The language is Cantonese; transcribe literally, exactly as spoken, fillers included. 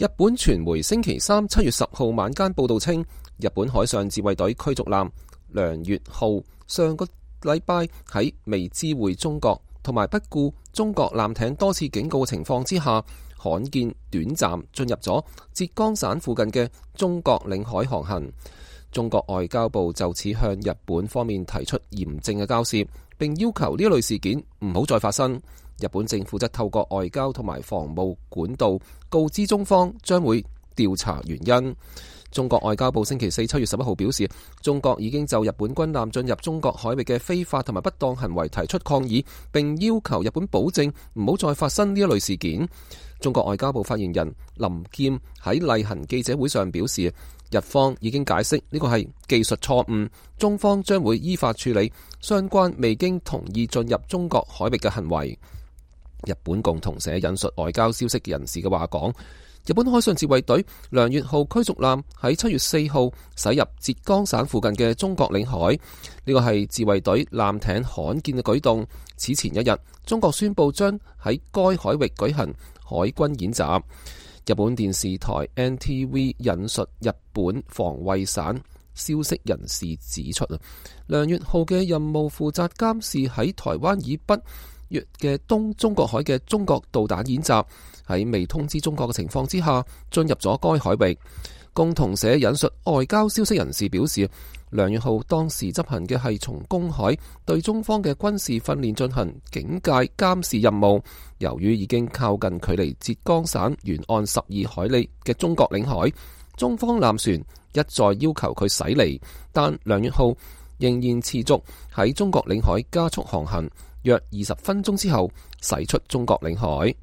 日本傳媒星期三七月十號晚間報道稱，日本海上自衛隊驅逐艦梁越號上個禮拜喺未知會中國同埋不顧中國艦艇多次警告嘅情況之下，罕見短暫進入咗浙江省附近嘅中國領海航行。中國外交部就此向日本方面提出嚴正嘅交涉，並要求呢一類事件唔好再發生。日本政府則透過外交同埋防務管道告知中方將會調查原因。中國外交部星期四七月十一號表示，中國已經就日本軍艦進入中國海域嘅非法同埋不當行為提出抗議，並要求日本保證唔好再發生呢一類事件。中國外交部發言人林劍喺例行記者會上表示，日方已經解釋呢個係技術錯誤，中方將會依法處理相關未經同意進入中國海域嘅行為。日本共同社引述外交消息人士嘅話講，日本海上自衛隊梁越號驅逐艦喺七月四號駛入浙江省附近嘅中國領海，呢個係自衛隊艦艇罕見嘅舉動。此前一日，中國宣布將喺該海域舉行海軍演習。日本電視台 N T V 引述日本防衛省消息人士指出，梁越號嘅任務負責監視喺台灣以北嘅東中國海嘅中國導彈演習，喺未通知中國嘅情況之下進入咗該海域。共同社引述外交消息人士表示，梁越號當時執行嘅係從公海對中方嘅軍事訓練進行警戒監視任務。由於已經靠近距離浙江省沿岸十二海里嘅中國領海，中方艦船一再要求佢駛離，但梁越號仍然持續喺中國領海加速航行，約二十分鐘之後駛出中國領海。